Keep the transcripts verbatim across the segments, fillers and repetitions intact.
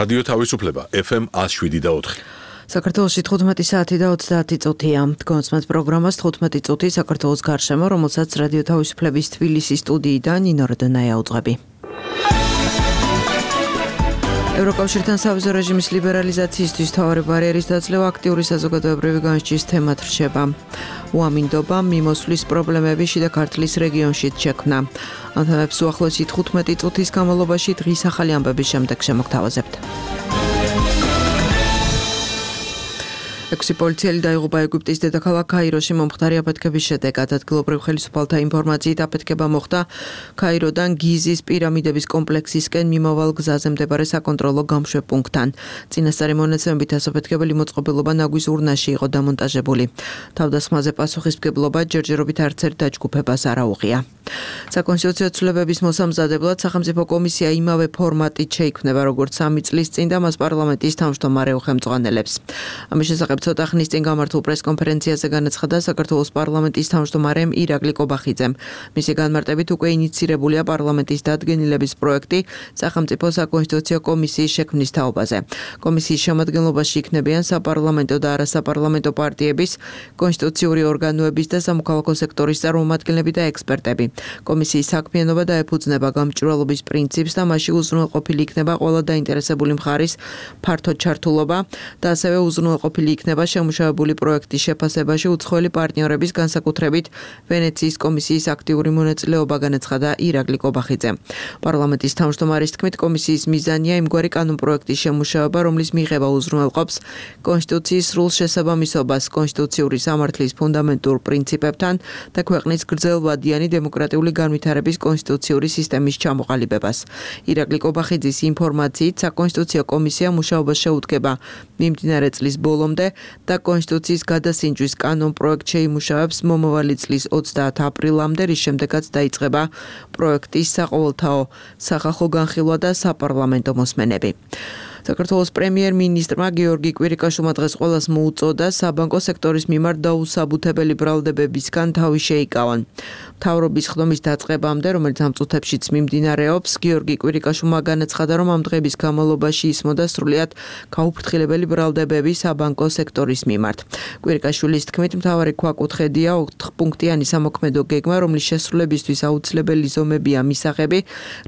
რადიო თავისუფლება ეფ ემ ათს შვიდი და ოთხი. საქართველოში თხუთმეტი საათი და ოცდაათი წუთია. თქვენს პროგრამას თხუთმეტი წუთი საქართველოს გარშემო, რომელსაც რადიო თავისუფლების თბილისის სტუდიიდან ნინო როდონაია უძღვები. ევროკავშირთან სავიზო რეჟიმის ლიბერალიზაციისთვის მთავარი ბარიერის დაწლევა აქტიური საზოგადოებრივი განსჯის თემად რჩება. უამინდობა მიმოსვლის პრობლემები შიდა ქართლის რეგიონშიც შექმნა. ამ თემებს უახლოესი თხუთმეტი წუთის განმავლობაში დღის ახალი ამბების შემდეგ შემოგთავაზებთ. ექვსი პოლიციელი დაიღუპა ეგვიპტის დედაქალაქ კაიროში მომხდარი აფეთქების შედეგად. ადგილობრივ ხელისუფალთა ინფორმაციით აფეთქება მოხდა კაიროდან გიზის პირამიდების კომპლექსისკენ მიმავალ გზაზე მდებარე საკონტროლო გამშვებ პუნქტთან. წინასწარი მონაცემებით ასაფეთქებელი მოწყობილობა ნაგვის ურნაში იყო დამონტაჟებული. თავდასხმაზე პასუხისმგებლობა ჯერჯერობით არც ერთ დაჯგუფებას არ აუღია. საკონსტიტუციო ცვლილებების მოსამზადებლად სახელმწიფო კომისია იმავე ფორმატით შეიქმნება, როგორც სამი წლის წინ და მას პარლამენტის თავმჯდომარე უხელმძღვანელებს. ამის შესახებ ცოტა ხნის წინ გამართულ პრესკონფერენციაზე განაცხადა საქართველოს პარლამენტის თავმჯდომარემ ირაკლი კობახიძემ. მისი განმარტებით უკვე ინიცირებულია პარლამენტის დადგენილების პროექტი სახელმწიფო საკონსტიტუციო კომისიის შექმნის თაობაზე. კომისიის შემადგენლობაში იქნებიან საპარლამენტო და არასაპარლამენტო პარტიების, კონსტიტუციური ორგანოების და სამოქალაქო სექტორის წარმომადგენლები და ექსპერტები. კომისიის საქმიანობა დაეფუძნება გამჭვირვალობის პრინციპს და მასში უზრუნველყოფილი იქნება ყველა დაინტერესებული მხარის ფართო ჩართულობა და ასევე უზრუნველყოფილი იქნება შემუშავებული პროექტის შეფასებაში უცხოელი პარტნიორების განსაკუთრებით ვენეციის კომისიის აქტიური მონაწილეობა, განაცხადა ირაკლი კობახიძემ. პარლამენტის თავმჯდომარის თქმით, კომისიის მიზანია იმგვარი კანონპროექტის შემუშავება, რომლის მიღება უზრუნველყოფს კონსტიტუციის სრულ შესაბამისობას კონსტიტუციური სამართლის ფუნდამენტურ პრინციპებთან და ქვეყნის გრძელვადიანი დემოკრატიული განვითარების კონსტიტუციური სისტემის ჩამოყალიბებას. ირაკლი კობახიძის ინფორმაციით, საკონსტიტუციო კომისია მუშაობას შეუდგება მიმდინარე წლის ბოლომდე და კონსტიტუციის გადასინჯვის კანონპროექტ შეიმუშავებს მომავალი წლის ოცდაათი აპრილამდე, რის შემდეგაც დაიწყება პროექტის საყოველთაო სახალხო განხილვა და საპარლამენტო მოსმენები. საქართველოს პრემიერ-მინისტრმა გიორგი კვირიკაშვილმა დღეს ყველას მოუწოდა საბანკო სექტორის მიმართ დაუსაბუთებელი ბრალდებებისგან თავი შეიკავონ. მთავრობის ხდომის დაწყებამდე, რომელიც ამ წუთებშიც მიმდინარეობს, გიორგი კვირიკაშვილმა განაცხადა, რომ ამ დღების განმავლობაში ისმოდა სრულიად გაუფრთხილებელი ბრალდებები საბანკო სექტორის მიმართ. კვირიკაშვილის თქმით, მთავარი ქვაკუთხედია ოთხპუნქტიანი სამოქმედო გეგმა, რომლის შესრულებისთვის აუცილებელი ზომებია მისაღები,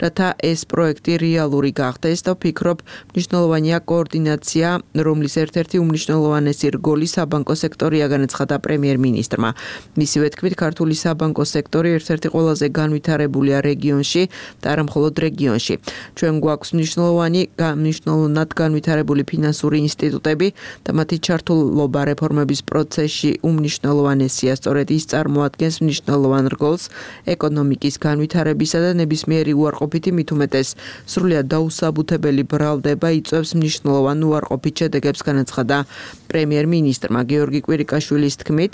რათა ეს პროექტი რეალური გახდეს და ვფიქრობ, მნიშვნელოვანია კოორდინაცია, რომლის ერთ-ერთი უმნიშვნელოვანესი რგოლი საბანკო სექტორია, განაცხადა პრემიერ-მინისტრმა. მისივე თქმით, ქართული საბანკო სექტორი ერთ-ერთი ყველაზე განვითარებულია რეგიონში და არა მხოლოდ რეგიონში. ჩვენ გვაქვს მნიშვნელოვანი, მნიშვნელოვნად განვითარებული ფინანსური ინსტიტუტები და მათი ჩართულობა რეფორმების პროცესში უმნიშვნელოვანესია. სწორედ ის წარმოადგენს მნიშვნელოვან რგოლს ეკონომიკის განვითარებისა და ნებისმიერი უარყოფითი, მით უმეტეს სრულიად დაუსაბუთებელი ბრალდება იწვევს მნიშვნელოვან უარყოფით შედეგებს, განაცხადა პრემიერ-მინისტრმა. გიორგი კვირიკაშვილის თქმით,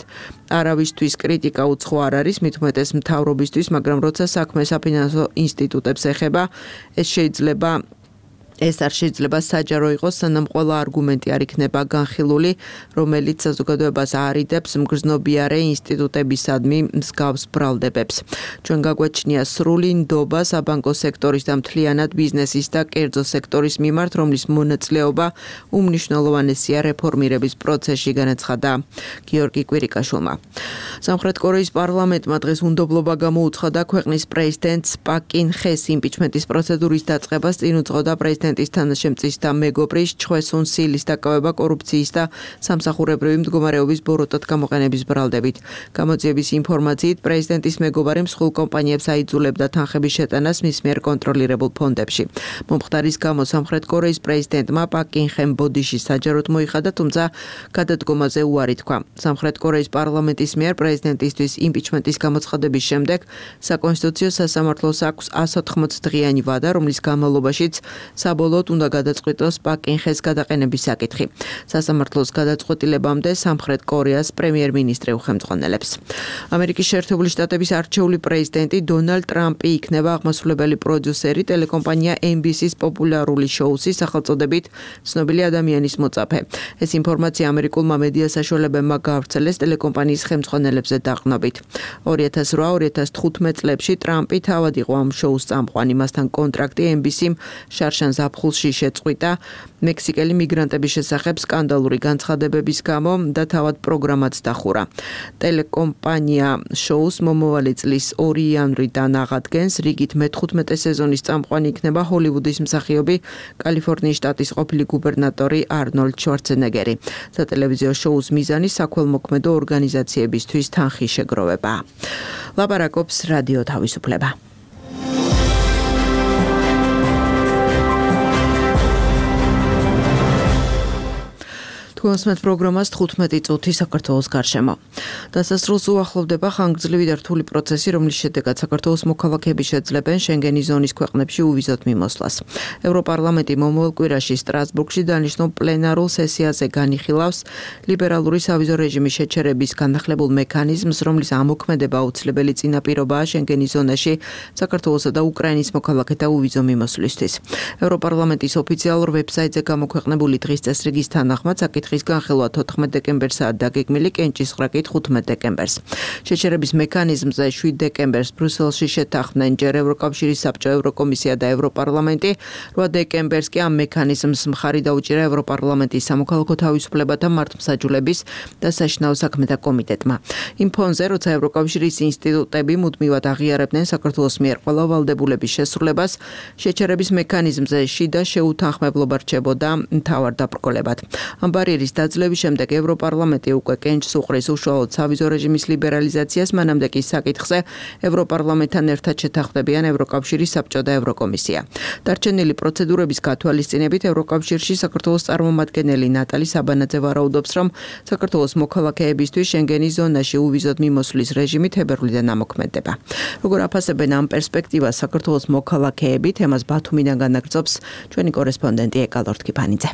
არავისთვის კრიტიკა უცხო არ არის, მით უმეტეს მთავრობისთვის, მაგრამ როცა საქმე საფინანსო ინსტიტუტებს ეხება, ეს შეიძლება ეს არ შეიძლება საჯარო იყოს, სანამ ყველა არგუმენტი არ იქნება განხილული, რომელიც საზოგადოებას არიდებს მგრძნობიარე ინსტიტუტებისადმი მსგავს ბრალდებებს. ჩვენ გაგვაჩნია სრული ნდობა საბანკო სექტორის და მთლიანად ბიზნესის და კერძო სექტორის მიმართ, რომლის მონაწილეობა უმნიშვნელოვანესია რეფორმირების პროცესში, განაცხადა გიორგი კვირიკაშვილმა. სამხრეთ კორეის პარლამენტმა დღეს უნდობლობა გამოუცხადა ქვეყნის პრეზიდენტს პაკ კინ ხეს იმპიჩმენტის პროცედურის დაწყებას, წინ უძღოდა პრეზიდენტ პრეზიდენტის თანაშემწის და მეგობრის ჩხვე სუნ სილის დაკავება კორუფციის და სამსახურებრივი მდგომარეობის ბოროტად გამოყენების ბრალდებით. გამოძიების ინფორმაციით, პრეზიდენტის მეგობარი მსხვილ კომპანიებს აიძულებდა თანხების შეტანას მის მიერ კონტროლირებულ ფონდებში. მომხდარის გამო სამხრეთ კორეის პრეზიდენტმა პაკ კინ ხემ ბოდიში საჯაროდ მოიხადა, თუმცა გადადგომაზე უარი თქვა. სამხრეთ კორეის პარლამენტის მიერ პრეზიდენტისთვის იმპიჩმენტის გამოცხადების შემდეგ საკონსტიტუციო სასამართლოს აქვს ას ოთხმოცი დღიანი ვადა, რომლის განმავლობაშიც საბოლოოდ უნდა გადაწყვიტოს პაკ კინ ხეს გადაყენების საკითხი. სასამართლოს გადაწყვეტილებამდე სამხრეთ კორეას პრემიერ-მინისტრი უხელმძღვანელებს. ამერიკის შეერთებული შტატების არჩეული პრეზიდენტი დონალდ ტრამპი იქნება აღმასრულებელი პროდიუსერი ტელეკომპანია ენ ბი სის პოპულარული შოუსის სახელწოდებით ცნობილი ადამიანის მოწაფე. ეს ინფორმაცია ამერიკულმა მედია საშუალებებმა გაავრცელეს ტელეკომპანიის ხელმძღვანელებზე დაყრდნობით. ორი ათას რვა ორი ათას თხუთმეტ წლებში ტრამპი თავად იყო ამ შოუს წამყვანი, მასთან კონტრაქტი ენ ბი სიმ შარშან ზაფხულში შეწყვიტა მექსიკელი მიგრანტების შესახებ სკანდალური განცხადებების გამო და თავად პროგრამაც დახურა. ტელეკომპანია შოუს მომავალი წლის ორი იანვრიდან აღადგენს, რიგით მეთხუთმეტე სეზონის წამყვანი იქნება ჰოლივუდის მსახიობი კალიფორნიის შტატის ყოფილი გუბერნატორი არნოლდ შვარცენეგერი. სატელევიზიო შოუს მიზანი საქველმოქმედო ორგანიზაციებისთვის თანხის შეგროვება. ლაპარაკობს რადიო თავისუფლება. თუასმეთ პროგრამას თხუთმეტი წუთი საქართველოს გარშემო. დასასრულს უახლოვდება ხანგრძლივი და რთული პროცესი, რომლის შედეგად საქართველოს მოქალაქეები შეძლებენ შენგენის ზონის ქვეყნებში უვიზოდ მიმოსვლას. ევროპარლამენტი მომავალ კვირაში სტრასბურგში დანიშნულ პლენარულ სესიაზე განიხილავს ლიბერალური სავიზო რეჟიმის შეჩერების განახლებულ მექანიზმს, რომლის ამოქმედება აუცილებელი წინაპირობაა შენგენის ზონაში საქართველოსა და უკრაინის მოქალაქეთა უვიზო მიმოსვლისთვის. ევროპარლამენტის ოფიციალურ ვებსაიტზე გამოქვეყნებული დღის წესრიგის თანახმად საკითხი ხის განხილვა თოთხმეტ დეკემბერსაა დაგეგმილი, კენჭისყრაკით ხუთმეტ დეკემბერს. შეჩერების მექანიზმზე შვიდ დეკემბერს ბრიუსელში შეთანხმდნენ ჯერ ევროკავშირის საბჭო, ევროკომისია და ევროპარლამენტი. რვა დეკემბერს კი ამ მექანიზმს მხარი დაუჭირა ევროპარლამენტის სამოქალაქო თავისუფლებათა მართლმსაჯულების და საშინაო საქმეთა კომიტეტმა. იმ ფონზე, როცა ევროკავშირის ინსტიტუტები მუდმივად აღიარებდნენ საქართველოს მიერ ყველა ვალდებულების შესრულებას, შეჩერების მექანიზმზე შიდა შეუთანხმებლობა რჩებოდა მთავარ დაბრკოლებად. ამ ბარიერის დაძლევის შემდეგ ევროპარლამენტი უკვე კენჭს უყრის უშუალოდ სავიზო რეჟიმის ლიბერალიზაციას, მანამდე კი საკითხზე ევროპარლამენტთან ერთად შეთანხმდებიან ევროკავშირის საბჭო და ევროკომისია. დარჩენილი პროცედურების გათვალისწინებით ევროკავშირში საქართველოს წარმომადგენელი ნატალი საბანაძე ვარაუდობს, რომ საქართველოს მოქალაქეებისთვის შენგენის ზონაში უვიზოდ მიმოსვლის რეჟიმი თებერვლიდან ამოქმედება. როგორ აფასებენ ამ პერსპექტივას საქართველოს მოქალაქეები, თემას ბათუმიდან განაგრძობს ჩვენი კორესპონდენტი ეკალორთ კიფანიძე.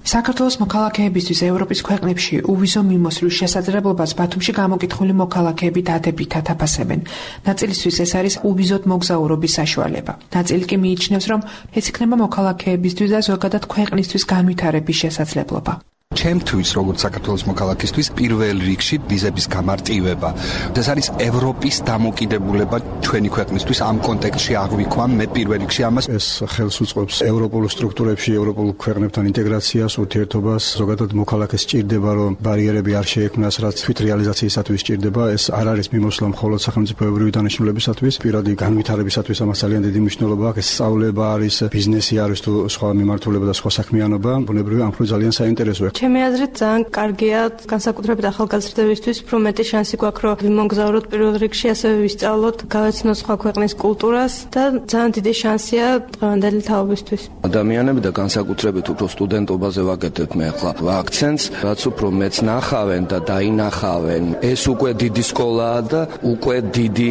საქართველოს მოქალაქეებისთვის ევროპის ქვეყნებში უვიზო მიმოსვლის შესაძლებლობას ბათუმში გამოკითხული მოქალაქეები დადებითად აფასებენ. ნაწილისთვის ეს არის უვიზოდ მოგზაურობის საშუალება. ნაწილი კი მიიჩნევს, რომ ეს იქნება მოქალაქეებისთვის და ზოგადად ქვეყნისთვის განვითარების შესაძლებლობა. ჩემთვის, როგორც საქართველოს მოქალაქისთვის, პირველ რიგში ვიზების გამარტივება. ეს არის ევროპის დამოკიდებულება ჩვენი ქვეყნისთვის ამ კონტექსტში აღვიქვამ მე პირველ რიგში ამას. ეს ხელს უწყობს ევროპულ სტრუქტურებში, ევროპულ ქვეყნებთან ინტეგრაციას, ურთიერთობას, ზოგადად მოქალაქეს სჭირდება, რომ ბარიერები არ შეექმნას, რაც თვით რეალიზაციისათვის სჭირდება. ეს არ არის მიმოსვლა მხოლოდ სახელმწიფოებრივი დანიშნულებისათვის, პირადი განვითარებისათვის ამას ძალიან დიდი მნიშვნელობა აქვს. ეს სწავლება არის, ბიზნესი არის თუ სხვა მიმართულება და სხვა საქმიანობა, ბუნებრივია ამ მხრივ ძალიან საინტერესოა. ჩემი აზრით ძალიან კარგია განსაკუთრებით ახალგაზრდებისთვის, უფრო მეტი შანსი გვაქვს, რომ ვიმოგზაუროთ პირველ რიგში, ასევე ვისწავლოთ, გავეცნოთ სხვა ქვეყნის კულტურას და ძალიან დიდი შანსია დღევანდელი თაობისთვის. ადამიანები და განსაკუთრებით უფრო სტუდენტობაზე ვაკეთებ მე ახლა აქცენტს, რაც უფრო მეც ნახავენ და დაინახავენ. ეს უკვე დიდი სკოლაა და უკვე დიდი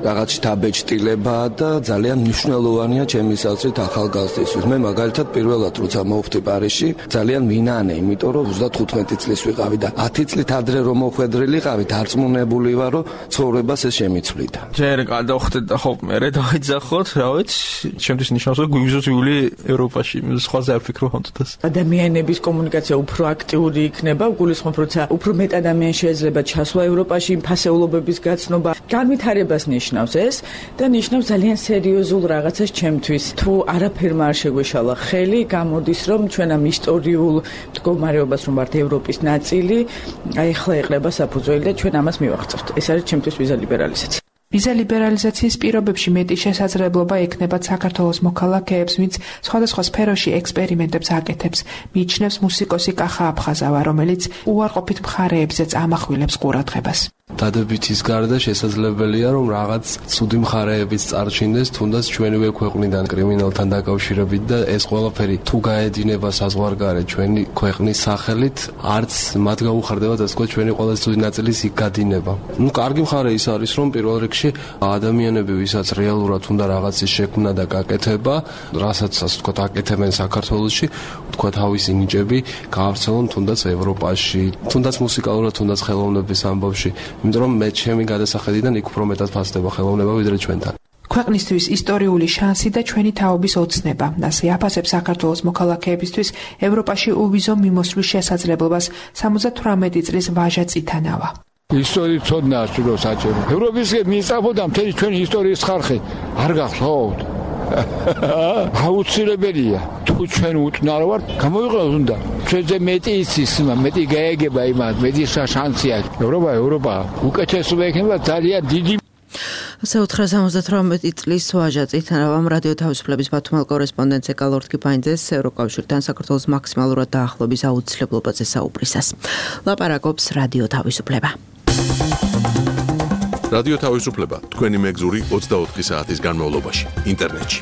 რაღაც შთაბეჭდილებაა და ძალიან მნიშვნელოვანია ჩემი აზრით ახალგაზრდისთვის. მე მაგალითად პირველად როცა მოვხდი პარიზში, ძალიან ვინანე, იმიტომ რომ ოცდათხუთმეტი წლის ვიყავი და ათი წლით ადრე რომ მოხვედრილიყავი, დარწმუნებული ვარ, რომ ცხოვრებას ეს შემიცვლიდა. ჯერ გადავხვდეთ და ხო მერე დავიძახოთ, რა ვიცი, ჩემთვის ნიშნავს, რომ გვიზუსიული ევროპაში, სხვაზე არ ვფიქრობ ამ თვითას. ადამიანების კომუნიკაცია უფრო აქტიური იქნება, გულისხმობ, როცა უფრო მეტ ადამიანს შეიძლება ჩასვლა ევროპაში, ფასეულობების გაცნობა, განვითარებას ნიშნავს ეს და ნიშნავს ძალიან სერიოზულ რაღაცას ჩემთვის. თუ არაფერმა არ შეგვეშალა ხელი, გამოდის, რომ ჩვენ ამ ისტორიულ მდგომარეობას რომ ვართ ევროპის ნაწილი, აი ახლა ეყრება საფუძველი და ჩვენ ამას მივახცევთ. ეს არის ჩემთვის ვიზა ლიბერალიზაცია. ვიზა ლიბერალიზაციის პირობებში მეტი შესაძლებლობა ექნება საქართველოს მოქალაქეებს, ვინც სხვადასხვა სფეროში ექსპერიმენტებს აკეთებს, მიიჩნევს მუსიკოსი კახა აფხაზავა, რომელიც უარყოფით მხარეებზეც ამახვილებს ყურადღებას. დადებითის გარდა შესაძლებელია, რომ რაღაც ცუდი მხარეებიც წარჩინდეს, თუნდაც ჩვენივე ქვეყნიდან კრიმინალთან დაკავშირებით და ეს ყველაფერი თუ გაედინება საზღვარგარეთ ჩვენი ქვეყნის სახელით, არც მათ გაუხარდება და თქვა ჩვენი ყველა ცუდი ნაწილის იქ გადინება. ნუ კარგი მხარე ის არის, რომ პირველ რიგში ადამიანები, ვისაც რეალურად უნდა რაღაცის შექმნა და გაკეთება, რასაც ასე თქვა აკეთებენ საქართველოში, თქვა თავისი ნიჭები გაავრცელონ თუნდაც ევროპაში, თუნდაც მუსიკალურად, თუნდაც ხელოვნების ამბავში. იმიტომ რომ მე ჩემი გადასახედიდან იქ უფრო მეტად ფასდება ხელოვნება ვიდრე ჩვენთან. ქვეყნისთვის ისტორიული შანსი და ჩვენი თაობის ოცნება. ასე აფასებს საქართველოს მოქალაქეებისთვის ევროპაში უვიზო მიმოსვლის შესაძლებლობას სამოცდათვრამეტი წლის ვაჟა წითანავა. ისტორიის ცოდნა სულო საჭირო. ევროპის მისწავდა მთელი ჩვენი ისტორიის ხარხი არ გახსოვთ. აუცილებელია. თუ ჩვენ უტნარო ვართ, გამოვიყენოთ უნდა. ჩვენზე მეტი იცის, მეტი გაეგება იმას, მეტი შანსი აქვს. ევროპა, ევროპა უკეთესობა იქნება ძალიან დიდი. ასე ოთხ ოცდაოთხ წლის ვაჟა წითანავამ რადიო თავისუფლების ბათუმელ კორესპონდენტს ეკალორდ კიფაინძეს ევროკავშირთან საქართველოს მაქსიმალურად დაახლოების აუცილებლობაზე საუბრისას. ლაპარაკობს რადიო თავისუფლება. რადიო თავისუფლება თქვენი მეგზური ოცდაოთხი საათის განმავლობაში ინტერნეტში.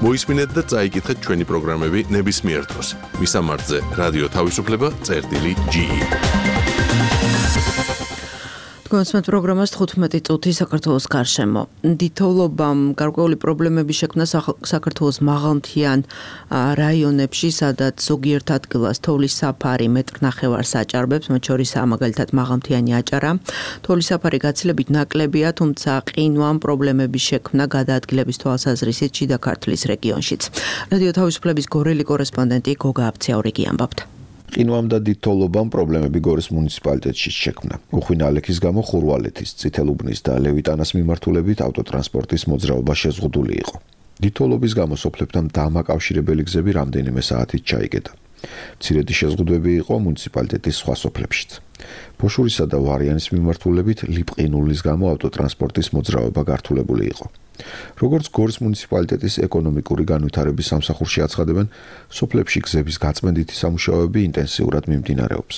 მოისმინეთ და წაიკითხეთ ჩვენი პროგრამები ნებისმიერ დროს. მისამართზე რადიო თავისუფლება წერტილი ჯი ი. კონსმეთ პროგრამას თხუთმეტი წუთი საქართველოს გარშემო. დიდთოვლობამ გარკვეული პრობლემები შექმნა საქართველოს მაღალმთიან რაიონებში, სადაც ზოგიერთ ადგილას თოვლის საფარი მეტრ ნახევარს აჭარბებს, მათ შორისაა მაგალითად მაღალმთიანი აჭარა. თოვლის საფარი გაცილებით ნაკლებია, თუმცა ყინვამ პრობლემები შექმნა გადაადგილების თვალსაზრისით შიდა ქართლის რეგიონშიც. რადიო თავისუფლების გორელი კორესპონდენტი გოგა აბციაურიგი ამბობთ. ყინვამ და დიდთოვლობამ პრობლემები გორის მუნიციპალიტეტში შექმნა. უხვინ ალექის გამო ხურვალეთის, წითელუბნის და ლევიტანას მიმართულებით ავტოტრანსპორტის მოძრაობა შეზღუდული იყო. დიდთოვლობის გამო სოფლებთან დამაკავშირებელი გზები რამდენიმე საათით ჩაიგდა. მცირედი შეზღუდვები იყო მუნიციპალიტეტის სხვა სოფლებშიც. ბოშურისა და ვარიანის მიმართულებით ლიპყინულის გამო ავტოტრანსპორტის მოძრაობა გართულებული იყო. როგორც გორის მუნიციპალიტეტის ეკონომიკური განვითარების სამსახურში აცხადებენ, სოფლებში გზების გაწმენდითი სამუშაოები ინტენსიურად მიმდინარეობს.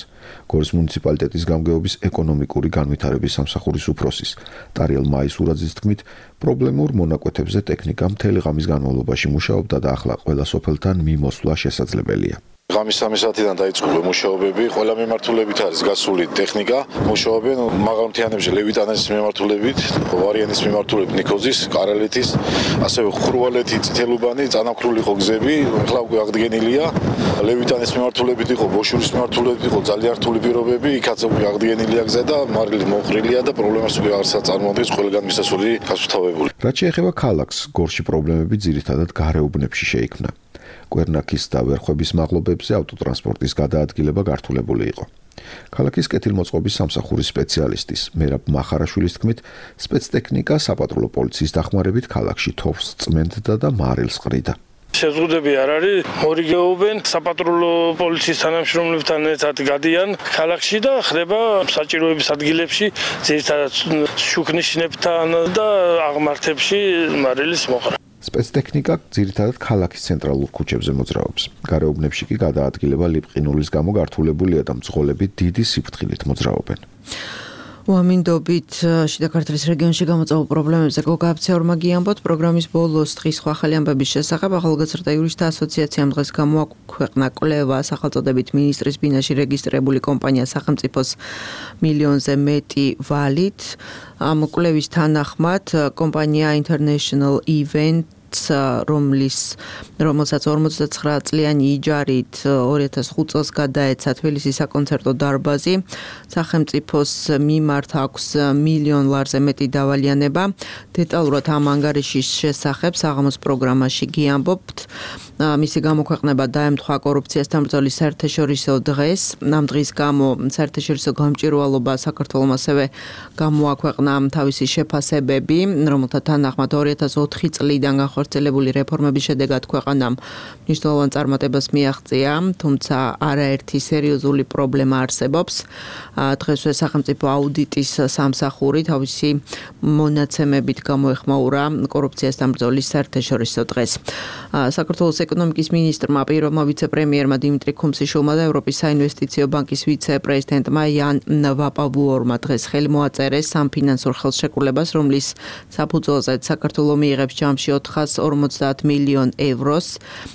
გორის მუნიციპალიტეტის გამგეობის ეკონომიკური განვითარების სამსახურის უფროსის ტარიელ მაისურაძის თქმით, პრობლემურ მონაკვეთებზე ტექნიკა მთელი ღამის განმავლობაში მუშაობდა და ახლა ყველა სოფელთან მიმოსვლა შესაძლებელია. ღამის სამი საათიდან დაიწყო მუშაობები, ყველა მიმართულებით არის გასული ტექნიკა, მუშაობენ მაღალმთიანებში ლევიტანის მიმართულებით, ვარიანის მიმართულებით ნიქოზის, კარალეთის, ასევე ხურვალეთი, წითელუბანი, წანამქრული იყო გზები, ახლა უკვე აღდგენილია. ლევიტანის მიმართულებით იყო, ბოშურის მიმართულებით იყო ძალიან რთული პირობები, იქაც უკვე აღდგენილია გზა და მარილი მოყრილია და პრობლემას უკვე აღარ წარმოადგენს ყველგან მისასვლელი გასუფთავებული. რაც შეეხება ქალაქს, გორში პრობლემები ძირითადად გარეუბნებში შეიქმნა. კვერნაქის და ვერხვების მაღლობებზე ავტოტრანსპორტის გადაადგილება გართულებული იყო. ქალაქის კეთილმოწყობის სამსახურის სპეციალისტის მერაბ მახარაშვილის თქმით, სპეცტექნიკა საპატრულო პოლიციის დახმარებით ქალაქში თოვს წმენდდა და მარილს ყრიდა. შეზღუდვები არ არის, მორიგეობენ საპატრულო პოლიციის თანამშრომლებთან ერთად გადიან ქალაქში და ხდება საჭიროების ადგილებში, ძირითადად შუქნიშნებთან და აღმართებში მარილის მოყრა. სპეცტექნიკა ძირითადად ქალაქის ცენტრალურ ქუჩებზე მოძრაობს. გარეუბნებში კი გადაადგილება ლიპყინულის გამო გართულებულია და მძღოლები დიდი სიფრთხილით მოძრაობენ. უამინდობით შიდა ქართლის რეგიონში გამოწვეულ პრობლემებზე გოგა აბციაურმა გიამბოთ. პროგრამის ბოლოს დღის სხვა ახალი ამბების შესახებ ახალგაზრდა იურისტთა ასოციაციამ დღეს გამოაქვეყნა კვლევა სახელწოდებით მინისტრის ბინაში რეგისტრირებული კომპანია სახელმწიფოს მილიონზე მეტი ვალით. ამ კვლევის თანახმად კომპანია International Event რომლის რომელსაც ორმოცდაცხრა წლიანი იჯარით ორი ათას ხუთ წელს გადაეცა თბილისის საკონცერტო დარბაზი. სახელმწიფოს მიმართ აქვს მილიონ ლარზე მეტი დავალიანება. დეტალურად ამ ანგარიშის შესახებ საღამოს პროგრამაში გიამბობთ. მისი გამოქვეყნება დაემთხვა კორუფციასთან ბრძოლის საერთაშორისო დღეს. ამ დღის გამო საერთაშორისო გამჭვირვალობა საქართველოს ასევე გამოაქვეყნა თავისი შეფასებები, რომელთა თანახმად ორი ათას ოთხი წლიდან განხორციელებული რეფორმების შედეგად ქვეყანამ მნიშვნელოვან წარმატებას მიაღწია, თუმცა არაერთი სერიოზული პრობლემა არსებობს. დღესვე სახელმწიფო აუდიტის სამსახური თავისი მონაცემებით გამოეხმაურა კორუფციასთან ბრძოლის საერთაშორისო დღეს. საქართველოს ეკონომიკის მინისტრმა, პირველმა ვიცე-პრემიერმა დიმიტრი ქუმსიშვილმა და ევროპის საინვესტიციო ბანკის ვიცე-პრეზიდენტმა იან ვაპავუორმა დღეს ხელი მოაწერეს სამფინანსურ ხელშეკრულებას, რომლის საფუძველზე საქართველო მიიღებს ჯამში ოთხას ორმოცდაათ მილიონ ევროს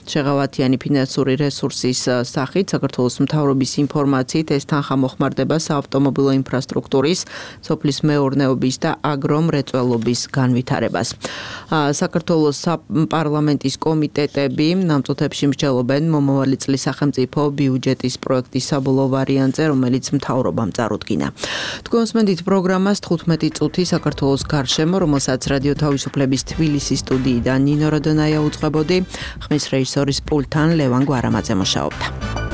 შეღავათიანი ფინანსური რესურსის სახით. საქართველოს მთავრობის ინფორმაციით ეს თანხა მოხმარდება საავტომობილო ინფრასტრუქტურის, სოფლის მეურნეობის და აგრომრეწველობის განვითარებას. საქართველოს პარლამენტის კომიტეტები ამ წუთებში მსჯელობენ მომავალი წლის სახელმწიფო ბიუჯეტის პროექტის საბოლოო ვარიანტზე, რომელიც მთავრობამ წარუდგინა. თქვენს მენდით პროგრამას თხუთმეტი წუთი საქართველოს გარშემო, რომელსაც რადიო თავისუფლების თბილისის სტუდიიდან ნინო როდონაია უწყებოდი, ხმის რეჟისორის პულტთან ლევან გვარამაძე მუშაობდა.